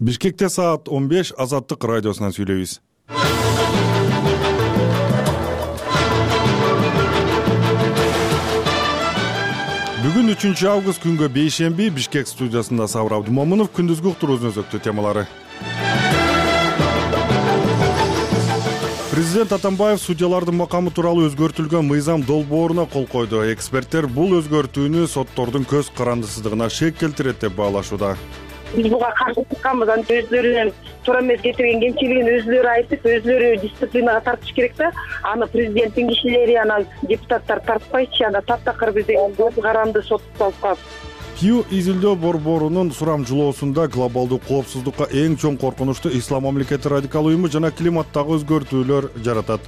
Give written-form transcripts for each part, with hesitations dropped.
Бишкекте саат 15 Азаттык радиосунан сүйлөйбүз. Бүгүн 3 август күнгө бейшемби Бишкек студиясында Сабыр Абдумомунов күндүзгү уктуруубуздун өзөктүү темалары. Президент Атамбаев судьялардын макамы тууралуу өзгөртүлгөн мыйзам долбооруна кол койду. Эксперттер бул өзгөртүүнү соттордун көз карандысыздыгына шек келтирет деп баалашууда. Биз буга каршы чыкканбыз, өздөрүнүн туура эмес кетирген кемчилигин өзүлөрү айтып, өзүлөрү дисциплинага тартыш керек да. Аны президенттин кишилери, депутаттар тартпайчы, таптакыр биз деген көз каранды соттолуп калып. Пью изилдөө борборунун сурамжылоосунда глобалдуу коопсуздукка эң чоң коркунучту Ислам мамлекети радикал уюму жана климаттагы өзгөртүүлөр жаратат.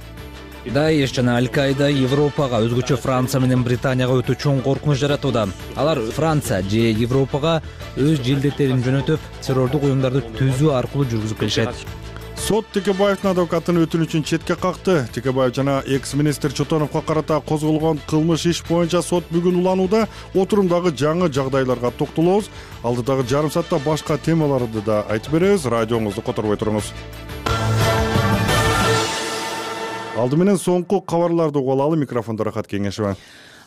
Даиш жана Аль-Каида Европага, өзгөчө Франция менен Британияга өтө чоң коркунуч жаратууда. Алар Франция же Европага өз желдеттерин жөнөтүп, террордук уюмдарды түзүү аркылуу жүргүзүп келишет. Сот Текебаевдин адвокатынын өтүнүчүн четке какты. Текебаев жана экс-министр Чотоновго карата козголгон кылмыш иш боюнча сот бүгүн уланууда. Отурумдагы жаңы жагдайларга токтолобуз. Алдыдагы жарым саатта башка темаларды да айтып беребиз. Радионузду которбой туруңуз. Алды менен соңку кабарларды угуп алалы. Микрофондо Рахат Кеңешева.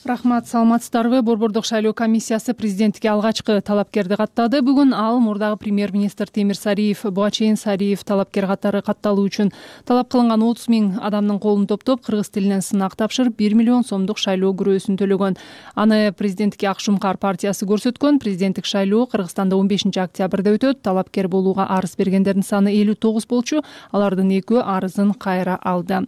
Рахмат, саламатсыздарбы? Борбордук шайлоо комиссиясы президенттикке алгачкы талапкерди каттады. Бүгүн ал мурдагы премьер-министр Темир Сариев, буга чейин Сариев талапкер катары катталуу үчүн талап кылынган 30 000 адамдын колун топтоп, кыргыз тилинен сынак тапшырып, 1 миллион сомдук шайлоо күрөөсүн төлөгөн. Аны президенттикке Ак Шумкар партиясы көрсөткөн. Президенттик шайлоо Кыргызстанда 15 октябрда өтөт. Талапкер болууга арыз бергендердин саны 59 болчу. Алардын 2 арызын кайра алды.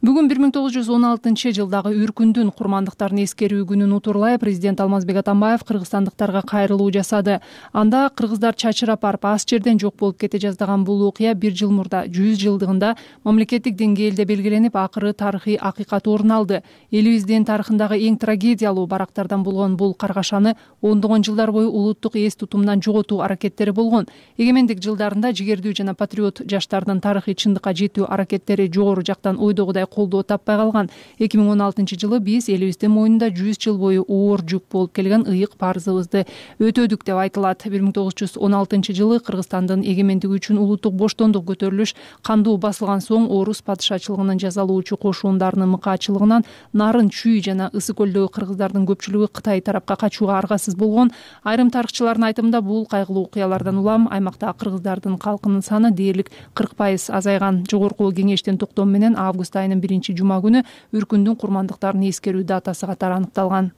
Бүгүн 1916-жылдагы Үркүндүн курмандыктарын эскерүү күнүн утурлай президент Алмазбек Атамбаев кыргызстандыктарга кайрылуу жасады. Анда кыргыздар чачырап барып ас жерден жок болуп кете жаздаган бул окуя 1 жыл мурда 100 жылдыгында мамлекеттик деңгээлде белгиленип, акыры тарыхый акыйкат орун алды. Элибиздин тарыхындагы эң трагедиялуу барактардан болгон бул каргашаны ондогон жылдар бою улуттук эс тутумдан жоготуу аракеттери болгон. Эгемендик жылдарында жигердүү жана патриот жаштардын тарыхый чындыкка жетүү аракеттери жогору жактан ойдогудай колдоо таппай калган. 2016-жылы биз элибиздин мойнунда 100 жыл бою оор жүк болуп келген ыйык парзыбызды өтөдүк деп айтылат. 1916-жылы Кыргызстандын эгемендиги үчүн улуттук боштондук көтөрүлүш кандуу басылган соң орус падышачылыгынын жазалоочу кошундарынын мыкаачылыгынан Нарын, Чүй жана Ысык көлдөгү кыргыздардын көпчүлүгү Кытай тарапка качууга аргасыз болгон. Айрым тарыхчылардын айтымында бул кайгылуу окуялардан улам аймактагы кыргыздардын калкынын саны дээрлик 40% азайган. Жогорку кеңештин токтому менен август айынын 1-жума күнү Үркүндүн курмандыктарын эскерүү датасы катары аныкталган.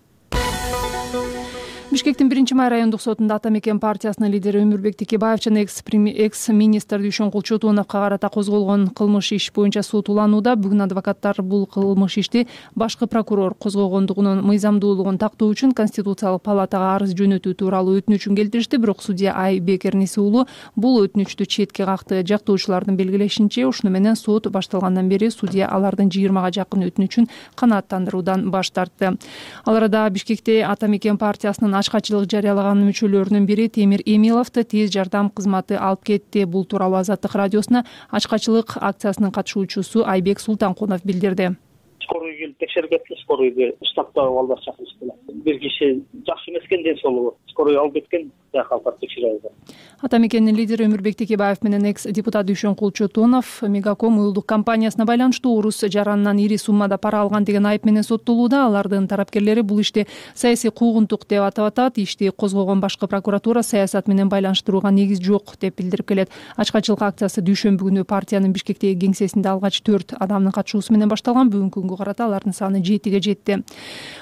Бишкектин 1-май райондук сотунда Атамекен партиясынын лидери Өмүрбек Текебаев жана экс-министр Дүйшөнкул Чотоновго карата козголгон кылмыш иш боюнча сот уланууда. Бүгүн адвокаттар бул кылмыш ишти башкы прокурор козгогондугунун мыйзамдуулугун тактоо үчүн Конституциялык палатага арыз жөнөтүү тууралуу өтүнүчүн келтиришти. Бирок судья Айбек Эрниси уулу бул өтүнүчтү четке какты. Жактоочулардын белгилешинче, ушуну менен сот башталгандан бери судья алардын 20га жакын өтүнүчүн канааттандыруудан баш тартты. Ал арада Бишкекте Атамекен партиясынын ачкачылык жарыялаган мүчөлөрүнүн бири Темир Эмиловду тез жардам кызматы алып кетти. Бул тууралуу Азаттык радиосуна ачкачылык акциясынын катышуучусу Айбек Султанкунов билдирди. Скорый келип текшерип кетти, скорыйды штабта балдар чакырышты. Бир киши жакшы эмес экен, ден соолугу. Скорый алып кеткен, калкап текшерип алды. Атамекендин лидери Өмүрбек Текебаев менен экс-депутат Дүйшөнкул Чотонов Мегаком уюлдук компаниясына байланыштуу орус жаранынан ири суммада пара алган деген айып менен соттолууда. Алардын тарапкерлери бул ишти саясий куугунтук деп атап атат. Ишти козгогон башкы прокуратура саясат менен байланыштырууга негиз жок деп билдирип келет. Ачкачылык акциясы дүйшөмбү күнү партиянын Бишкектеги кеңсесинде алгач 4 адамдын катышуусу менен башталган. Бүгүнкү күнгө карата алардын саны 7ге жетти.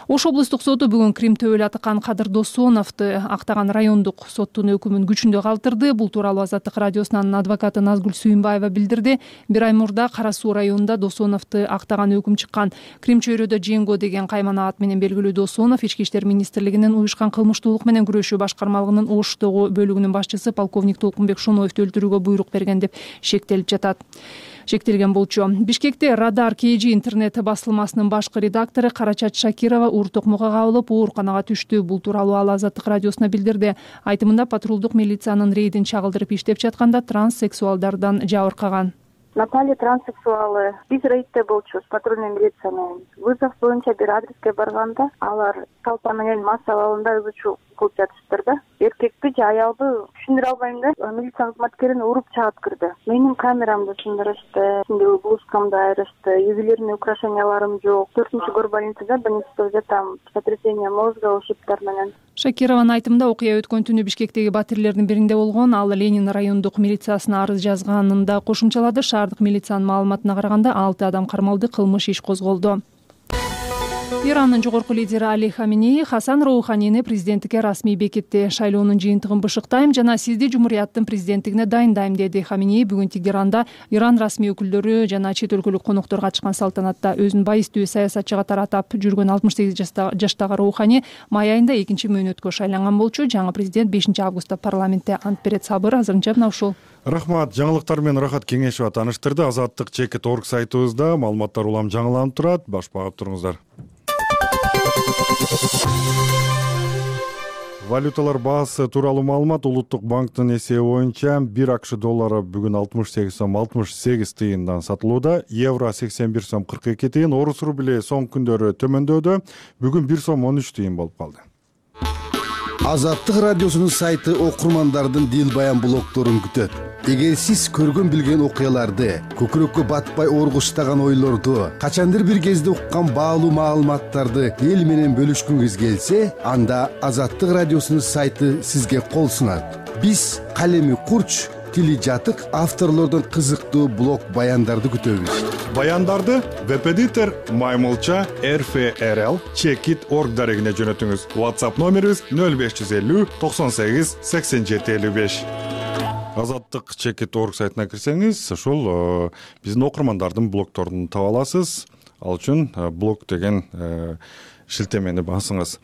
Ош облустук соту бүгүн Крим төбөлү Атакан Кадыр Досоновду актаган райондук соттун өкүмүн күчүндө калтырды. Бул тууралуу Азаттык радиосунун адвокаты Назгүл Сүйүнбаева билдирди. 1 ай мурда Кара Суу районунда Досоновду актаган өкүм чыккан. Крим чөйрөдө Женго деген каймана ат менен белгилүү Досонов Ички иштер министрлигинин уюшкан кылмыштуулук менен күрөшүү башкармалыгынын Оштогу бөлүгүнүн башчысы полковник Толкунбек Шоноевду өлтүрүүгө буйрук берген деп шектелген болчу. Бишкекте Радар КЖ интернет басылмасынын башкы редактору Карачат Шакирова оор токмокко кабылып, ооруканага түштү. Бул тууралуу ал Азаттык радиосуна билдирди. Айтымында патрулдук милициянын рейдин чагылдырып иштеп жатканда транссексуалдардан жабыркаган. Наталья транссексуалы. Биз рейдте болчубуз патрульный милиция менен. Вызов боюнча бир адреске барганда алар толпа менен масса абалында ызы чуу кылып жатышыптыр да. Эркекти же аялды түшүндүрө албайм да. Милиция кызматкерин уруп чаап кирди. Менин камерамды сындырышты, ичиндеги блузкамды айырышты, ювелирный украшенияларым жок. 4-көр больницада жатам, сотрясение мозга, ушибдар менен. Шакированын айтымында окуя өткөн түнү Бишкектеги батирлердин биринде болгон. Ал Ленин райондук милициясына арыз жазганын да кошумчалады. Шаардык милициянын маалыматына караганда 6 адам кармалды, кылмыш иш козголду. Ирандын жогорку лидери Али Хаминеи Хасан Роуханини президенттикке расмий бекитти. Шайлоонун жыйынтыгын бышыктайм жана сизди жумурияттын президенттигине дайындайм, деди Хаминеи бүгүн Тегеранда Иран расмий өкүлдөрү жана чет өлкөлүк коноктор катышкан салтанатта. Өзүн байыстуу саясатчы катары атап жүргөн 68 жаштагы Роухани май айында 2-мөөнөткө шайланган болчу. Жаңы президент 5-августта парламентте ант берет. Сабыр азырынча мына ушул. Рахмат. Жаңылыктар менен Рахат Кеңешова тааныштырды. Азаттык Чекит.org сайтыбызда маалыматтар улам жаңыланып турат. Баш багып туруңуздар. Валюталар баасы тууралуу маалымат. Улуттук банктын эсеби боюнча 1 АКШ доллары бүгүн 68 сом 68 тыйындан сатылууда. Евро 81 сом 42 тыйын. Орус рубли соңку күндөрү төмөндөдү. Бүгүн 1 сом 13 тыйын болуп калды. Азаттык радиосунун сайты окурмандардын дил баян блогдорун күтөт. Эгер сиз көргөн билген окуяларды, көкүрөккө батпай оргуштаган ойлорду, качандыр бир кезде уккан баалуу маалыматтарды эл менен бөлүшкүңүз келсе, анда Азаттык радиосунун сайты сизге кол сунат. Биз калеми курч, тили жатык авторлордун кызыктуу блог баяндарды күтөбүз. Баяндарды веб-эдитор Маймылча RFRL Chekit.org дарегине жөнөтүңүз. WhatsApp номерибиз 0550 98 87 55. Азаттык Chekit.org сайтына кирсеңиз, ошол биздин окурмандардын блогдорун таба аласыз. Ал үчүн блог деген шилтемени басыңыз.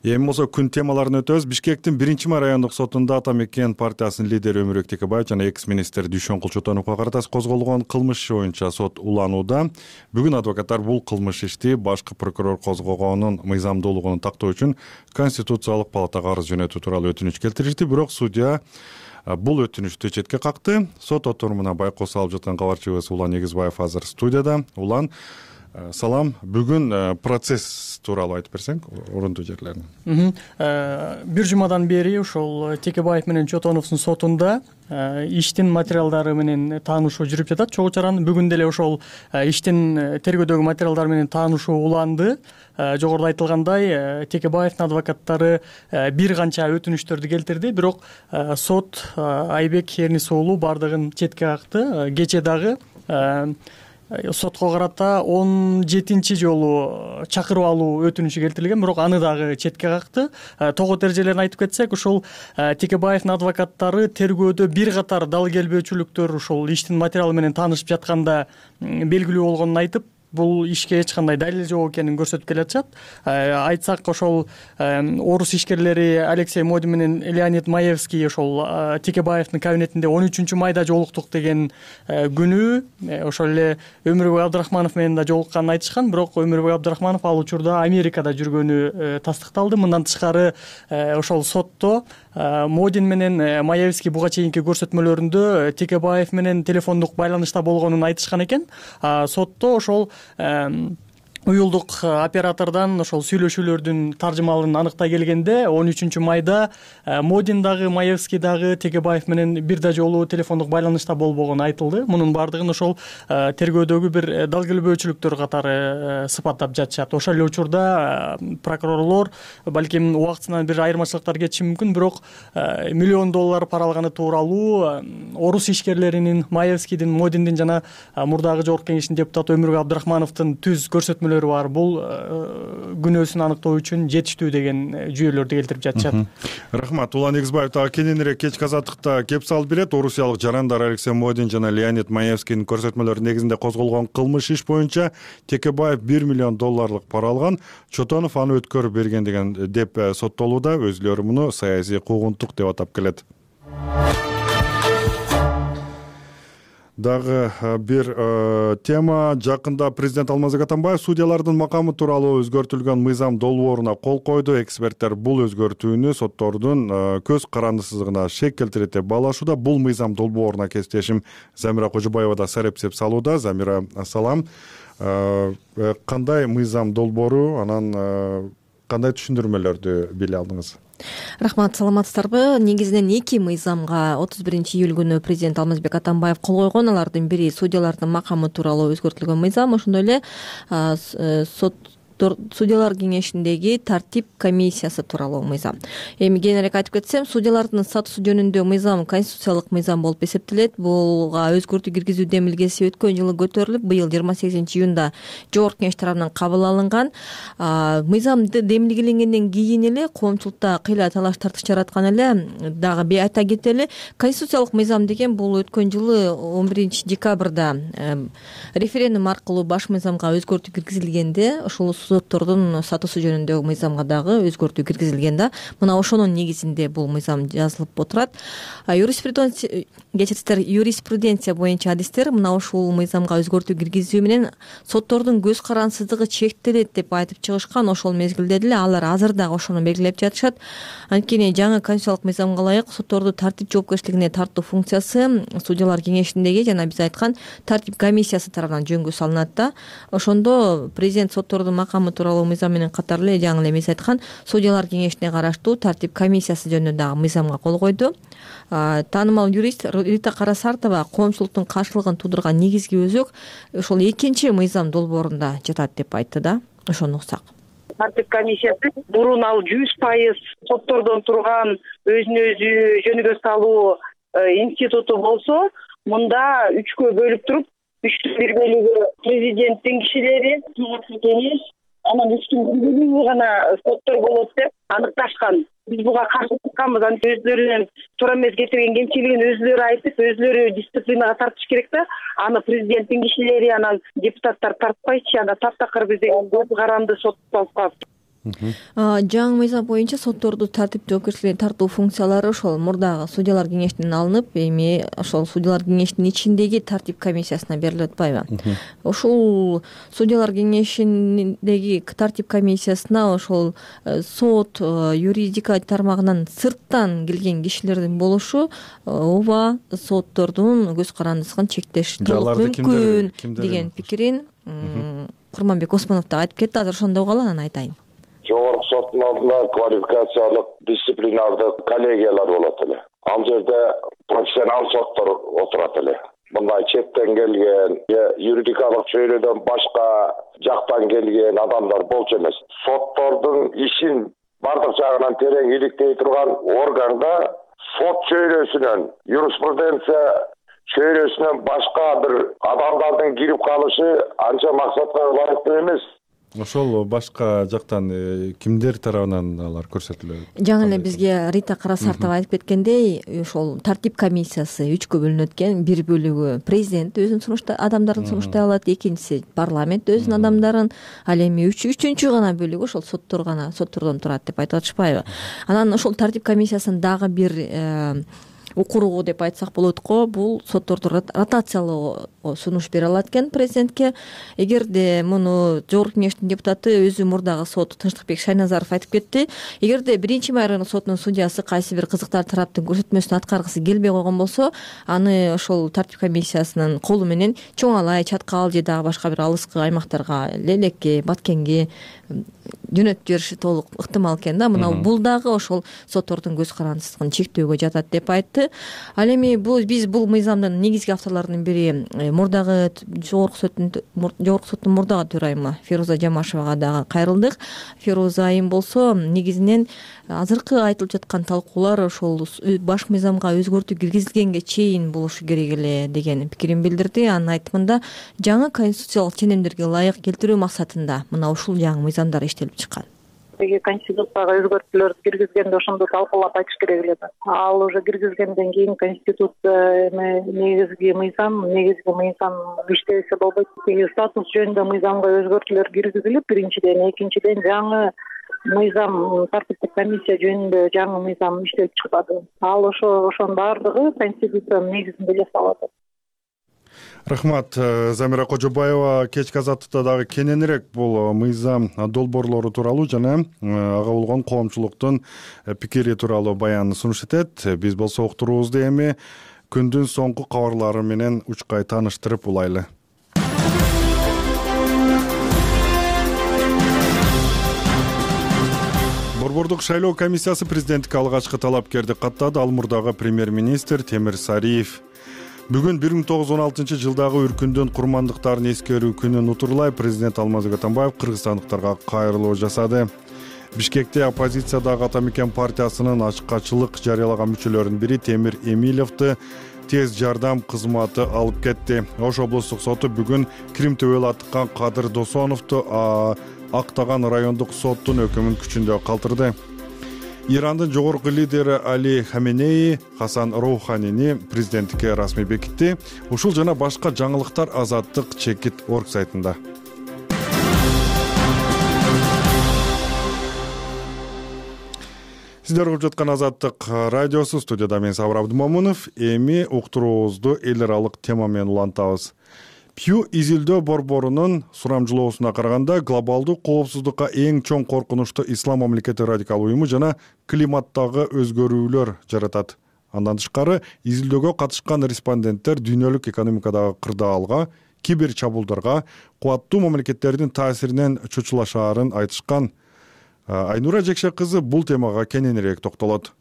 Эми болсо күн темаларын өтөбүз. Бишкектин 1-май райондук сотунда Ата Мекен партиясынын лидери Өмүрбек Текебаев жана экс-министр Дүйшөнкул Чотоновго карата козголгон кылмыш иши боюнча сот уланууда. Бүгүн адвокаттар бул кылмыш ишти башкы прокурор козгогонун мыйзамдуулугун тактоо үчүн Конституциялык палатага арыз жөнөтүү тууралуу өтүнүч келтиришти. Бирок судья бул өтүнүчтү четке какты. Сот отурумуна байкоос алып жаткан кабарчыбыз Улан Эгизбаев азыр студияда. Улан, салам. Бүгүн процесс тууралуу айтып берсең, орундуу жерлерин. Бир жумадан бери ошол Текебаев менен Чотоновдун сотунда иштин материалдары менен таанышуу жүрүп жатат. Чогуу чаран бүгүн деле ошол иштин тергөөдөгү материалдары менен таанышуу уланды. Жогоруда айтылгандай, Текебаевдин адвокаттары бир канча өтүнүчтөрдү келтирди, бирок сот Айбек Эрнис уулу бардыгын четке какты. Кече дагы сотко карата 17-чи жолу чакырып алуу өтүнүчү келтирилген, бирок аны дагы четке какты. Тогот эрежелерин айтып кетсек, ошол Текебаевдин адвокаттары тергөөдө бир катар дал келбөөчүлүктөр ошол иштин материалы менен таанышып жатканда белгилүү болгонун айтып, бул ишке эч кандай далил жок экенин көрсөтүп келатышат. Айтсак, ошол орус ишкерлери Алексей Модин менен Леонид Маевский ошол Текебаевдин кабинетинде 13 майда жолуктук деген күнү ошол эле Өмүрбек Абдрахманов менен да жолукканын айтышкан, бирок Өмүрбек Абдрахманов ал учурда Америкада жүргөнү тастыкталды. Мындан тышкары ошол сотто Модин менен Маевский буга чейинки көрсөтмөлөрүндө Текебаев менен телефондук байланышта болгонун айтышкан экен. Сотто ошол уюлдук оператордон ошол сүйлөшүүлөрдүн таржымалын аныктай келгенде 13 майда Модин дагы Маевский дагы Текебаев менен бир да жолу телефондук байланышта болбогону айтылды. Мунун бардыгын ошол тергөөдөгү бир дал келбөөчүлүктөр катары сыпаттап жатышат. Ошол эле учурда прокурорлор балким убактысынан бир айырмачылыктар кетиши мүмкүн, бирок $1 миллион пара алганы тууралуу орус ишкерлеринин, Маевскийдин, Модиндин жана мурдагы жогорку кеңештин депутаты Өмүрбек Абдрахмановдун түз көрсөтмөлөрү бар. Бул күнөөсүн аныктоо үчүн жетиштүү деген жүйөлөрдү келтирип жатышат. Рахмат. Улан Эгизбаев дагы кененирээк кечки азаттыкта кеп салып берет. Орусиялык жарандар Алексей Модин жана Леонид Маевскийдин көрсөтмөлөрү негизинде козголгон кылмыш иш боюнча Текебаев $1 миллион пара алган. Чотонов аны өткөрүп берген деп соттолууда. Өзүлөрү муну саясий куугунтук деп атап келет. Дагы бир тема. Жакында президент Алмазбек Атамбаев судьялардын макамы тууралуу өзгөртүлгөн мыйзам долбооруна кол койду. Эксперттер бул өзгөртүүнү соттордун көз карандысыздыгына шек келтирет деп баалашууда. Бул мыйзам долбооруна кесиптешим Замира Кожобаева да сарепсеп салууда. Замира, салам. Кандай мыйзам долбоору, анан кандай түшүндүрмөлөрдү биле алдыңыз? Рахмат, саламатсыздарбы? Негизинен 2 мыйзамга 31-июль күнү президент Алмазбек Атамбаев кол койгон. Алардын бири судьялардын макамы тууралуу өзгөртүлгөн мыйзам, ошондой эле судьялар кеңешиндеги тартип комиссиясы тууралуу мыйзам. Эми кененирээк айтып кетсем, судьялардын статусу жөнүндө мыйзам конституциялык мыйзам болуп эсептелет. Буга өзгөртүү киргизүү демилгеси өткөн жылы көтөрүлүп, быйыл 28-июнда жогорку кеңеш тарабынан кабыл алынган. Мыйзам демилгеленгенден кийин эле коомчулукта кыйла талаш тартыш жараткан эле. Дагы айта кетели, конституциялык мыйзам деген бул өткөн жылы 11-декабрда референдум аркылуу баш мыйзамга өзгөртүү киргизилгенде, ошол соттордун статусу жөнүндөгү мыйзамга дагы өзгөртүү киргизилген да. Мына ошонун негизинде бул мыйзам жазылып отурат. Юриспруденция боюнча адистер мына ушул мыйзамга өзгөртүү киргизүү менен соттордун көз карансыздыгы чектелет деп айтып чыгышкан. Ошол мезгилде деле алар азыр дагы ошону белгилеп жатышат. Анткени жаңы конституциялык мыйзамга ылайык сотторду тартип жоопкерчилигине тартуу функциясы судьялар кеңешиндеги жана биз айткан тартип комиссиясы тарабынан жөнгө салынат да. Ошондо президент соттордун макамы тууралуу мыйзам менен катар эле жаңы эле биз айткан судьялар кеңешине караштуу тартип комиссиясы жөнүндө дагы мыйзамга кол койду. Таанымал юрист Рита Карасартова коомчулуктун каршылыгын туудурган негизги өзөк ошол 2 мыйзам долбоорунда жатат деп айтты да. Ошону уксак. Тартип комиссиясы мурун ал 100% соттордон турган өзүн өзү жөнүгө салуу институту болсо, мында 3кө бөлүп туруп, 3түн 1 бөлүгү президенттин кишилери, жогорку кеңеш, анан 3түн 1 бөлүгү гана соттор болот деп аныкташкан. Биз буга каршы чыкканбыз. Өздөрүнүн туура эмес кетирген кемчилигин өзүлөрү айтып, өзүлөрү дисциплинага тартыш керек да. Аны президенттин кишилери, анан депутаттар тартпайчы, анда таптакыр бизде көз каранды сот болуп калыптыр. Жаңы мыйзам боюнча сотторду тартип жоопкерчиликке тартуу функциялары ошол мурдагы судьялар кеңешинен алынып, эми ошол судьялар кеңешинин ичиндеги тартип комиссиясына берилип атпайбы? Ушул судьялар кеңешиндеги тартип комиссиясына ошол сот, юридика тармагынан сырттан келген кишилердин болушу ооба соттордун көз карандысын чектеш толук мүмкүн деген пикирин Курманбек Осмонов да айтып кетти. Азыр ошондой кала, анан айтайын. Жогорку соттун алдында квалификациялык дисциплинардык коллегиялар болот эле. Ал жерде профессионал соттор отурат эле. Мындай четтен келген, юридикалык чөйрөдөн башка жактан келген адамдар болчу эмес. Соттордун ишин бардык жагынан терең иликтей турган органда сот чөйрөсүнөн, юриспруденция чөйрөсүнөн башка бир адамдардын кирип калышы анча максатка ылайыктуу эмес. Ошол башка жактан кимдер тарабынан алар көрсөтүлөт? Жаңы эле бизге Рита Карасартова айтып кеткендей, ошол тартип комиссиясы 3кө бөлүнөт экен. Бир бөлүгү президент өзүнүн адамдарын сунуштай алат, экинчиси парламент өзүнүн адамдарын, ал эми үчүнчү гана бөлүгү ошол соттордон турат деп айтып атышпайбы? Анан ошол тартип комиссиясынын дагы бир укуругу деп айтсак болот го, бул сотторду ротациялоо сунуш бере алат экен президентке. Эгерде муну жогорку кеңештин депутаты өзү мурдагы сот Тынчтыкбек Шайназаров айтып кетти. Эгерде 1-май райондук сотунун судьясы кайсы бир кызыктар тараптын көрсөтмөсүн аткаргысы келбей койгон болсо, аны ошол тартип комиссиясынын колу менен Чоң Алай, Чаткал же дагы башка бир алыскы аймактарга, Лелекке, Баткенге жөнөтүп жибериши толук ыктымал экен да. Мына бул дагы ошол соттордун көз карандысын чектөөгө жатат деп айтты. Ал эми биз бул мыйзамдын негизги авторлорунун бири мурдагы жогорку соттун мурдагы төрайымы Фируза Жамашевага дагы кайрылдык. Фируза айым болсо негизинен азыркы айтылып жаткан талкуулар ошол баш мыйзамга өзгөртүү киргизилгенге чейин болушу керек эле деген пикирин билдирди. Анын айтымында жаңы конституциялык ченемдерге ылайык келтирүү максатында мына ушул жаңы мыйзамдар иштелип чыккан. Конституцияга өзгөртүүлөрдү киргизгенде ошондо талкуулап айтыш керек эле да. Ал уже киргизгенден кийин конституция негизги мыйзам иштебесе болбойт. Статус жөнүндө мыйзамга өзгөртүүлөр киргизилип, биринчиден, экинчиден жаңы мыйзам тартиптик комиссия жөнүндө жаңы мыйзам иштелип чыкпады. Ал ошонун баардыгы конституциянын негизинде жасалат. Рахмат. Замира Кожобаева кечки азаттыкта дагы кененирээк бул мыйзам долбоорлору тууралуу жана ага болгон коомчулуктун пикири тууралуу баян сунуш этет. Биз болсо уктуруубузду эми күндүн соңку кабарлары менен учкай тааныштырып улайлы. Борбордук шайлоо комиссиясы президенттикке алгачкы талапкерди каттады. Ал мурдагы премьер-министр Темир Сариев. Бүгүн 1916-жылдагы үркүндүн курмандыктарын эскерүү күнү нутурлай президент Алмазбек Атамбаев кыргызстандыктарга кайрылуу жасады. Бишкекте оппозициядагы Ата Мекен партиясынын ачкачылык жарыялаган мүчөлөрүнүн бири Темир Эмилевди тез жардам кызматы алып кетти. Ош облустук соту бүгүн Крим төбөлү аттыккан Кадыр Досоновду актаган райондук соттун өкүмүн күчүндө калтырды. Ирандын жогорку лидери Али Хаменеи Хасан Роуханини президенттикке расмий бекитти. Ушул жана башка жаңылыктар Азаттык чекит орг сайтында. Сиздер угуп жаткан Азаттык радиосу, студияда мен Сабыр Абдымомунов. Эми уктуруубузду эл аралык тема менен улантабыз. Пью изилдөө борборунун сурамжылоосуна караганда глобалдуу коопсуздукка эң чоң коркунучту ислам мамлекети радикал уюму жана климаттагы өзгөрүүлөр жаратат. Андан тышкары изилдөөгө катышкан респонденттер дүйнөлүк экономикадагы кырдаалга, кибер чабуулдарга, кубаттуу мамлекеттердин таасиринен чочулашаарын айтышкан. Айнура Жекше кызы бул темага кененирээк токтолот.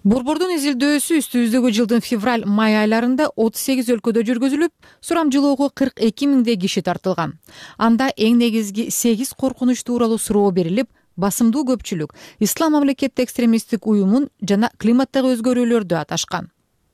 Борбордун изилдөөсү үстүбүздөгү жылдын февраль-май айларында 38 өлкөдө жүргүзүлүп, сурамжылоого 42 миңдей киши тартылган. Анда эң негизги 8 коркунуч тууралуу суроо берилип, басымдуу көпчүлүк ислам мамлекети экстремисттик уюмун жана климаттагы өзгөрүүлөрдү аташкан.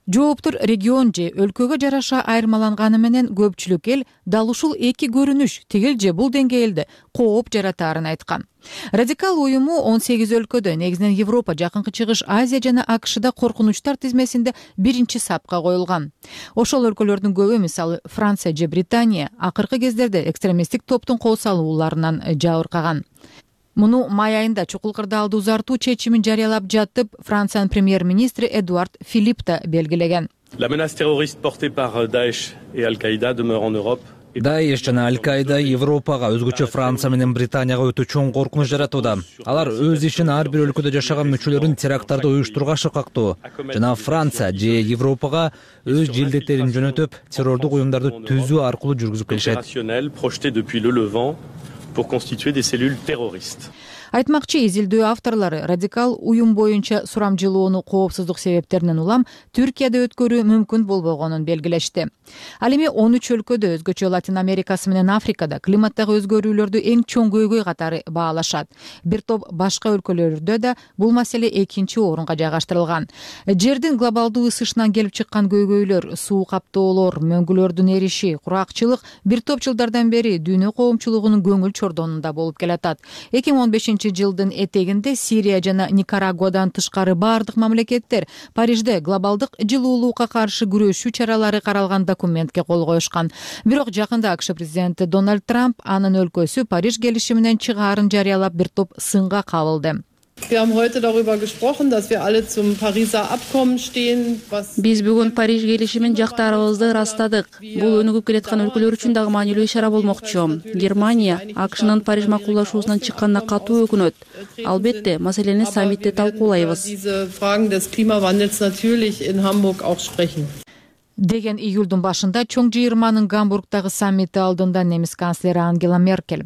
Жооптор регион же өлкөгө жараша айырмаланганы менен көпчүлүк эл дал ушул эки көрүнүш тигил же бул деңгээлде кооп жаратаарын айткан. Радикал уюму 18 өлкөдө, негизинен Европа, Жакынкы Чыгыш, Азия жана АКШда коркунучтар тизмесинде биринчи сапка коюлган. Ошол өлкөлөрдүн көбү, мисалы Франция же Британия, акыркы кездерде экстремисттик топтун кол салууларынан жабыркаган. Муну май айында чукул кырдаалды узартуу чечимин жарыялап жатып, Франциянын премьер-министри Эдуард Филипп да белгилеген. La menace terroriste portée par Daesh et Al-Qaïda demeure en Europe. Даеш жана Аль-Каида Европага, өзгөчө Франция менен Британияга өтө чоң коркунуч жаратууда. Алар өз ишин ар бир өлкөдө жашаган мүчөлөрүн теракттарды уюштурууга шыкактоо жана Франция же Европага өз желдеттерин жөнөтүп, террордук уюмдарды түзүү аркылуу жүргүзүп келишет. Projetés depuis le Levant pour constituer des cellules terroristes. Айтмакчы, изилдөө авторлору радикал уюм боюнча сурамжылоону коопсуздук себептеринен улам Түркияда өткөрүү мүмкүн болбогонун белгилешти. Ал эми 13 өлкөдө, өзгөчө Латин Америкасы менен Африкада климаттагы өзгөрүүлөрдү эң чоң көйгөй катары баалашат. Бир топ башка өлкөлөрдө да бул маселе экинчи орунга жайгаштырылган. Жердин глобалдуу ысышынан келип чыккан көйгөйлөр, суу каптоолор, мөңгүлөрдүн эриши, куракчылык бир топ жылдардан бери дүйнө коомчулугунун көңүл чордонунда болуп келатат. 2015 жылдын этегинде Сирия жана Никарагуадан тышкары бардык мамлекеттер Парижде глобалдык жылуулукка каршы күрөшүү чаралары каралган документке кол коюшкан. Бирок жакында АКШ президенти Дональд Трамп анын өлкөсү Париж келишиминен чыгаарын жарыялап бир топ сынга кабылды. Wir haben heute darüber gesprochen, dass wir alle zum Pariser Abkommen stehen. Биз бүгүн Париж келишимин жактаарыбызды ырастадык. Бул өнүгүп келаткан өлкөлөр үчүн дагы маанилүү ишара болмокчу. Германия АКШнын Париж макулдашуусунан чыкканына катуу өкүнөт. Албетте, маселени саммитте талкуулайбыз. Diese Fragen des Klimawandels natürlich in Hamburg auch sprechen. Деген июлдун башында чоң жыйырманын Гамбургдагы саммити алдында немис канцлери Ангела Меркель.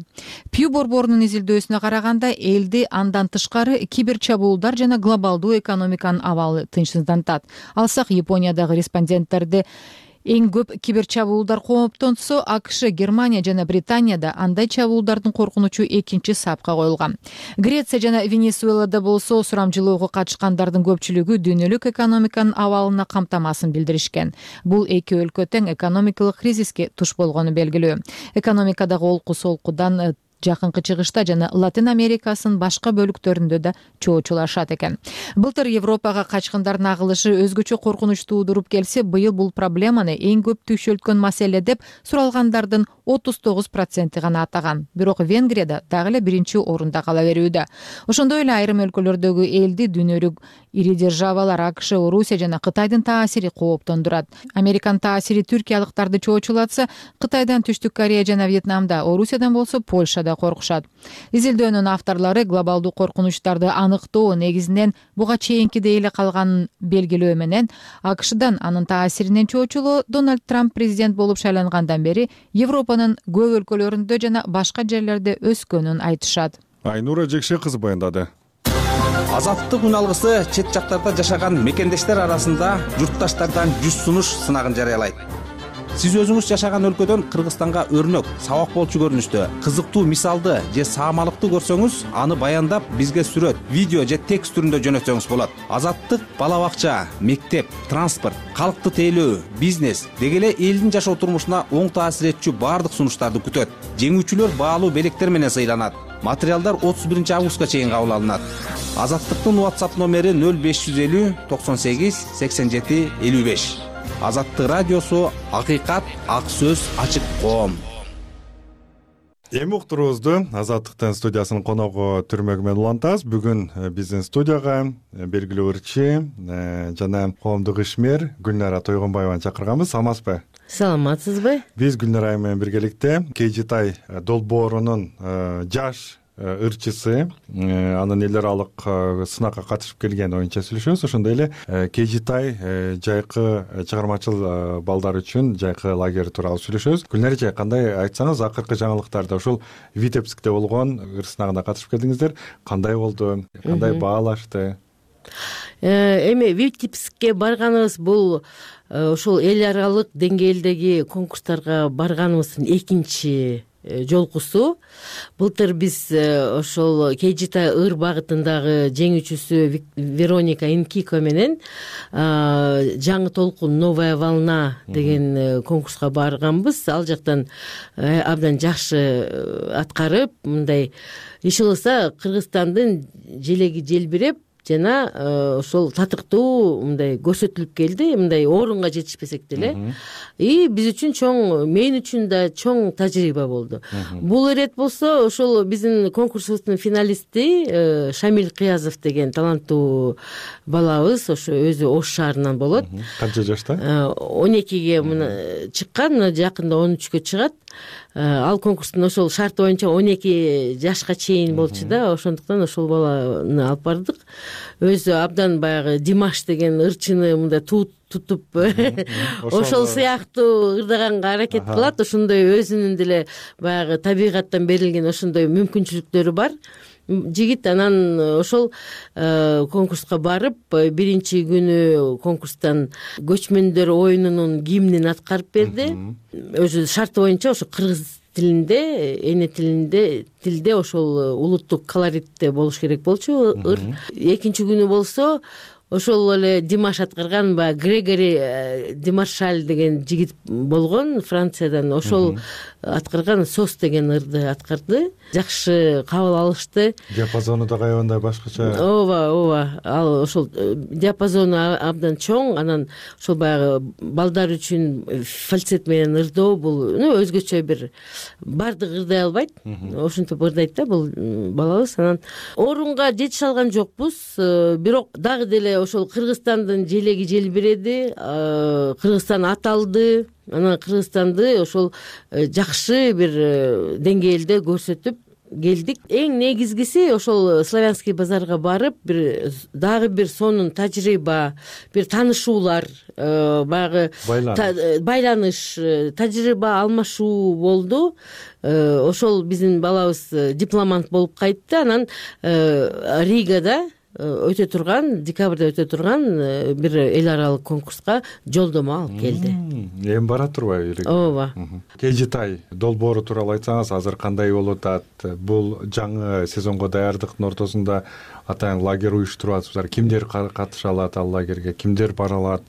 Пью борборунун изилдөөсүнө караганда, элди андан тышкары кибер чабуулдар жана глобалдуу экономиканын абалы тынчсыздантат. Алсак Япониядагы респонденттерди эң көп кибер чабуулдар кооптонсо, АКШ, Германия жана Британияда андай чабуулдардын коркунучу экинчи сапка коюлган. Греция жана Венесуэлада болсо сурамжылоого катышкандардын көпчүлүгү дүйнөлүк экономиканын абалына камтамасын билдиришкен. Бул эки өлкө тең экономикалык кризиске туш болгону белгилүү. Экономикадагы олку солкудан Жакынкы Чыгышта жана Латин Америкасынын башка бөлүктөрүндө да чоочулашат экен. Былтыр Европага качкындардын агылышы өзгөчө коркунуч туудуруп келсе, быйыл бул проблеманы эң көп түйшөлткөн маселе деп суралгандардын 39% гана атаган. Бирок Венгрияда дагы эле биринчи орунда кала берүүдө. Ошондой эле айрым өлкөлөрдөгү элди дүйнөлүк ири державалар АКШ, Орусия жана Кытайдын таасири кооптондурат. Американын таасири түркиялыктарды чоочулатса, Кытайдан Түштүк Корея жана Вьетнамда, Орусиядан болсо Польшада коркушат. Изилдөөнүн авторлору глобалдуу коркунучтарды аныктоо негизинен буга чейинкидей эле калганын белгилөө менен АКШдан анын таасиринен чоочулоо Дональд Трамп президент болуп шайлангандан бери Европанын көп өлкөлөрүндө жана башка жерлерде өскөнүн айтышат. Айнура Жекше кызы баяндады. Азаттык үн алгысы чет жактарда жашаган мекендештер арасында журтташтардан 100 сунуш сынагын жарыялайт. Сиз өзүңүз жашаган өлкөдөн Кыргызстанга өрнөк, сабак болчу көрүнүштө, кызыктуу мисалды же саамалыкты көрсөңүз, аны баяндап бизге сүрөт, видео же текст түрүндө жөнөтсөңүз болот. Азаттык бала бакча, мектеп, транспорт, калкты тейлөө, бизнес деги эле элдин жашоо турмушуна оң таасир этчү баардык сунуштарды күтөт. Жеңүүчүлөр баалуу белектер менен сыйланат. Материалдар 31 августка чейин кабыл алынат. Азаттыктын WhatsApp номери 0550 98 87 55. Азаттык радиосу, акыйкат, ак сөз, ачык коом. Эми уктуруубузду Азаттыктын студиясынын коногу Түрмөгү менен улантабыз. Бүгүн биздин студияга белгилүү ырчы жана коомдук ишмер Гүлнара Тойгонбаеваны чакырганбыз. Саламатсызбы? Саламатсызбы? Биз Гүлнара менен биргеликте Кежитай долбоорунун жаш ырчысы, анын эл аралык сынакка катышып келген оюнча сүйлөшөбүз. Ошондой эле Кежитай жайкы чыгармачыл балдар үчүн жайкы лагерь тууралуу сүйлөшөбүз. Гүлнара эже, кандай айтсаңыз, акыркы жаңылыктарда ушул Витебскте болгон ыр сынагына катышып келдиңиздер. Кандай болду? Кандай баалашты? Эми Витебскке барганыбыз бул ошол эл аралык деңгээлдеги конкурстарга барганыбыздын экинчи жолкусу. Былтыр биз ошол Кежитай ыр багытындагы жеңүүчүсү Вероника Инкико менен жаңы толкун, новая волна деген конкурска барганбыз. Ал жактан абдан жакшы аткарып, мындай иш кылса Кыргызстандын желеги желбиреп жана ошол татыктуу мындай көрсөтүлүп келди. Мындай орунга жетишпесек деле. Биз үчүн чоң, мен үчүн да чоң тажрыйба болду. Бул ирет болсо ошол биздин конкурсубуздун финалисти Шамил Кыязов деген таланттуу балабыз, ошо өзү Ош шаарынан болот. Канча жашта? 12ге чыккан, жакында 13кө чыгат. Ал конкурстун ошол шарты боюнча 12 жашка чейин болчу да, ошондуктан ошол баланы алып бардык. Өзү абдан баягы Димаш деген ырчыны мындай тутуп ошол сыяктуу ырдаганга аракет кылат. Ошондой өзүнүн деле баягы табигаттан берилген ошондой мүмкүнчүлүктөрү бар жигит. Анан ошол конкурска барып, биринчи күнү конкурстан көчмөндөр оюнунун гимнин аткарып берди. Өзү шарты боюнча ошо кыргыз тилинде, эне тилде ошол улуттук колоритте болуш керек болчу ыр. Экинчи күнү болсо ошол эле Димаш аткарган баягы Грегори Демаршаль деген жигит болгон, Франциядан. Ошол аткарган Сос деген ырды аткарды. Жакшы кабыл алышты. Диапазону да кайбандай башкача. Ооба. Ал ошол диапазону абдан чоң. Анан ошол баягы балдар үчүн фальцет менен ырдоо бул өзгөчө бир, бардык ырдай албайт. Ошентип ырдайт да бул балабыз. Анан орунга жетише алган жокпуз. Бирок дагы деле ошол Кыргызстандын желеги желбиреди, Кыргызстан аталды. Анан Кыргызстанды ошол жакшы бир деңгээлде көрсөтүп келдик. Эң негизгиси ошол Славянский базарга барып, дагы бир сонун тажрыйба, бир таанышуулар, баягы байланыш, тажрыйба алмашуу болду. Ошол биздин балабыз дипломант болуп кайтты. Анан Ригада өтө турган, декабрда өтө турган бир эл аралык конкурска жолдомо алып келди. Эми бара турбайбы? Ооба. Кежитай долбоору тууралуу айтсаңыз, азыр кандай болуп атат? Бул жаңы сезонго даярдыктын ортосунда атайын лагерь уюштуруп атышсыздар. Кимдер катыша алат ал лагерге? Кимдер бара алат?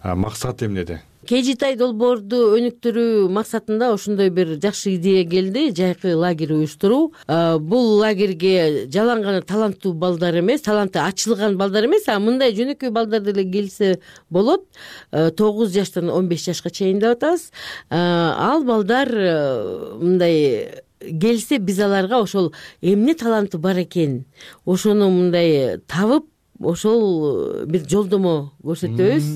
Максат эмнеде? Кежитай долбоорду өнүктүрүү максатында ошондой бир жакшы идея келди, жайкы лагерь уюштуруу. Бул лагерге жалаң гана таланттуу балдар эмес, таланты ачылган балдар эмес, мындай жөнөкөй балдар деле келсе болот. 9 жаштан 15 жашка чейин деп атабыз. Ал балдар мындай келсе, биз аларга ошол эмне таланты бар экен, ошону мындай табып, ошол бир жолдомо көрсөтөбүз.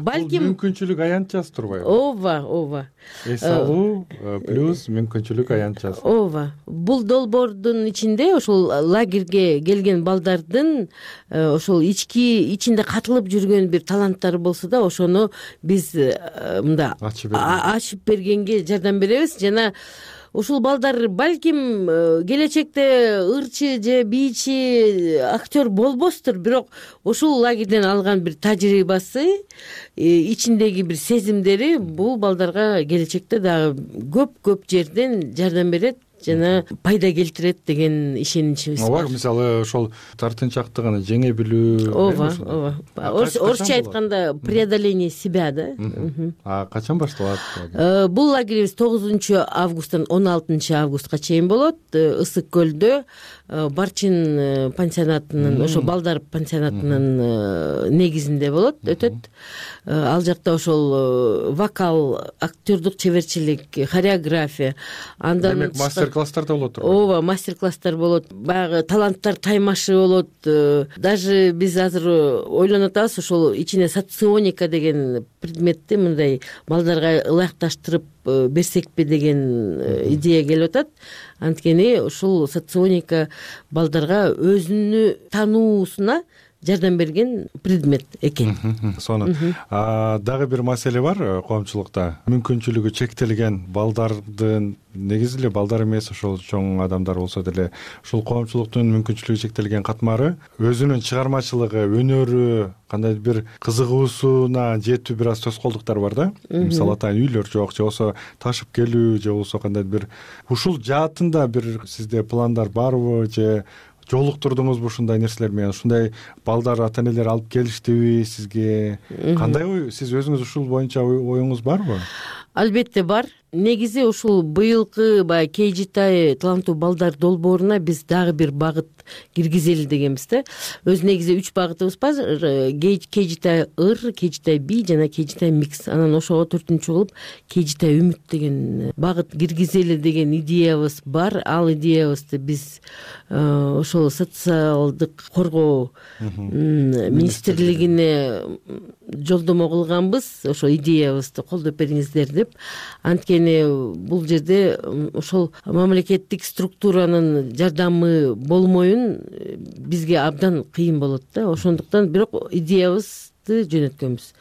Балким мүмкүнчүлүк аянтчасы турбайбы? Ооба. Эс алуу плюс мүмкүнчүлүк аянтчасы. Ооба. Бул долбоордун ичинде ошол лагерге келген балдардын ошол ичинде катылып жүргөн бир таланттары болсо да, ошону биз мында ачып бергенге жардам беребиз. Жана ушул балдар балким келечекте ырчы же бийчи актер болбостур, бирок ушул лагерден алган бир тажрыйбасы, ичиндеги бир сезимдери бул балдарга келечекте дагы көп жерден жардам берет жана пайда келтирет деген ишеничибиз бар. Ооба, мисалы ошол тартынчактыгын жеңе билүү. Ооба. Орусча айтканда преодоление себя, да. Качан башталат? Бул лагерибиз 9 августтан 16 августка чейин болот. Ысык көлдө Барчин пансионатынын, ошо балдар пансионатынын негизинде болот, өтөт. Ал жакта ошол вокал, актердук чеберчилик, хореография, андан демек мастер-класстар да болот. Ооба, мастер-класстар болот. Баягы таланттар таймашы болот. Даже биз азыр ойлонуп атабыз, ошол ичине соционика деген предметти мындай балдарга ылайыкташтырып берсекпи деген идея келип атат. Анткени ушул соционика балдарга өзүнү тануусуна жардам берген предмет экен. Сонун. Дагы бир маселе бар коомчулукта. Мүмкүнчүлүгү чектелген балдардын, негизи эле балдар эмес, ошол чоң адамдар болсо деле, ушул коомчулуктун мүмкүнчүлүгү чектелген катмары өзүнүн чыгармачылыгы, өнөрү, кандай бир кызыгуусуна жетүү бир аз тоскоолдуктар бар да. Мисалы атайын үйлөр жок, же болбосо ташып келүү, же болбосо кандай бир ушул жаатында бир сизде пландар барбы, же жолуктурдуңузбу ушундай нерселер менен? Ушундай балдар ата энелер алып келиштиби сизге? Кандай ой, сиз өзүңүз ушул боюнча оюңуз барбы? Албетте бар. Негизи ушул быйылкы баягы KGTI таланттуу балдар долбооруна биз дагы бир багыт киргизели дегенбиз да. Өз негизи 3 багытыбыз бар. KGTI ыр, KGTI би жана KGTI микс. Анан ошого 4-чү кылып KGTI үмүт деген багыт киргизели деген идеябыз бар. Ал идеябызды биз ошол социалдык коргоо министрлигине жолдомо кылганбыз. Ошо идеябызды колдоп бериңиздер деп. Анткени бул жерде ошол мамлекеттик структуранын жардамы болмоюн бизге абдан кыйын болот да. Ошондуктан бирок идеябызды жөнөткөнбүз.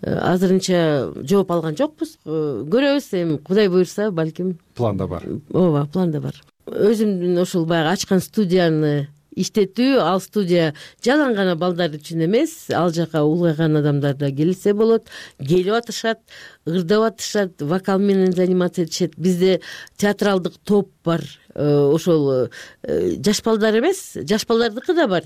Азырынча жооп алган жокпуз. Көрөбүз, эми Кудай буйрса, балким планда бар. Ооба, планда бар. Өзүмдүн ошол баягы ачкан студияны иштетүү, ал студия жалаң гана балдар үчүн эмес, ал жака улгайган адамдар да келсе болот, келип атышат, ырдап атышат, вокал менен заниматься этишет. Бизде театралдык топ бар. Ошол жаш балдар эмес, жаш балдардыкы да бар.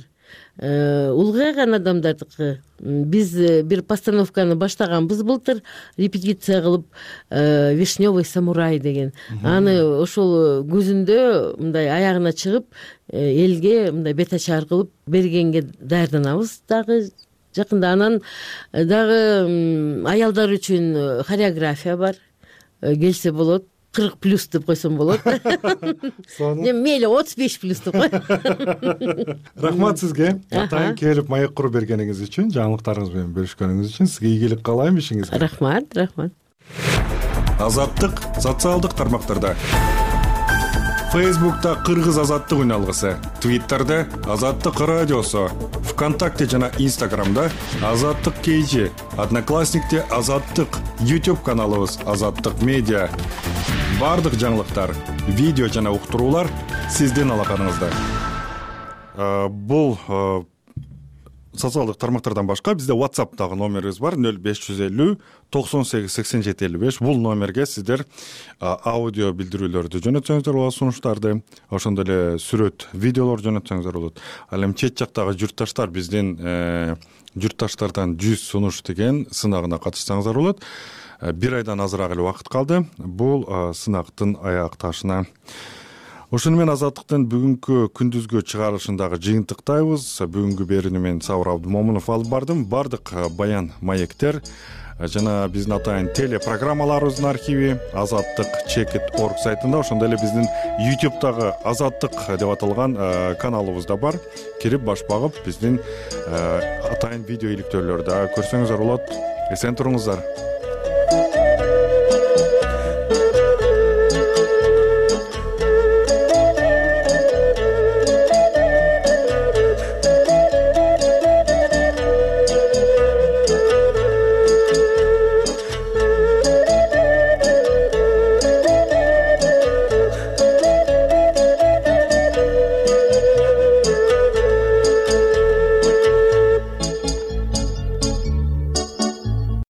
Улгайган адамдардыкы. Биз бир постановканы баштаганбыз былтыр, репетиция кылып, Вишневый самурай деген. Аны ошол күзүндө мындай аягына чыгып, элге мындай бет ачар кылып бергенге даярданабыз дагы жакында. Анан дагы аялдар үчүн хореография бар. Келсе болот. 40+ деп койсом болот. Мейли 35+ деп кой. Рахмат сизге. Атайын келип маек куруп бергениңиз үчүн, жаңылыктарыңыз менен бөлүшкөнүңүз үчүн сизге ийгилик каалайм ишиңизге. Рахмат. Азаттык социалдык тармактарда. Фейсбукта Кыргыз азаттык үналгысы, Твиттерде Азаттык радиосу, ВКонтакте жана Инстаграмда Азаттык KG, Одноклассникте Азаттык, YouTube каналыбыз Азаттык медиа. Бардык жаңылыктар, видео жана уктуруулар сиздин алаканыңызда. Бул социалдык тармактардан башка бизде WhatsApp'тагы номерибиз бар 0550 98 87 55. Бул номерге сиздер аудио билдирүүлөрдү жөнөтсөңүздөр болот, сунуштарды, ошондой эле сүрөт, видеолор жөнөтсөңүздөр болот. Ал эми чет жактагы журтташтар биздин журтташтардан 100 сунуш деген сынагына катышсаңыздар болот. 1 айдан азыраак эле убакыт калды бул сынактын аяк ташына. Ошону менен Азаттыктын бүгүнкү күндүзгү чыгарылышындагы жыйынтыктайбыз. Бүгүнкү берүүнү мен Сабыр Абдымомунов алып бардым. Бардык баян маектер жана биздин атайын телепрограммаларыбыздын архиви Азаттык Chekit.org сайтында, ошондой эле биздин YouTube'дагы Азаттык деп аталган каналыбыз да бар. Кирип баш багып биздин атайын видео иликтөөлөрдү көрсөңүздөр болот. Эсен туруңуздар.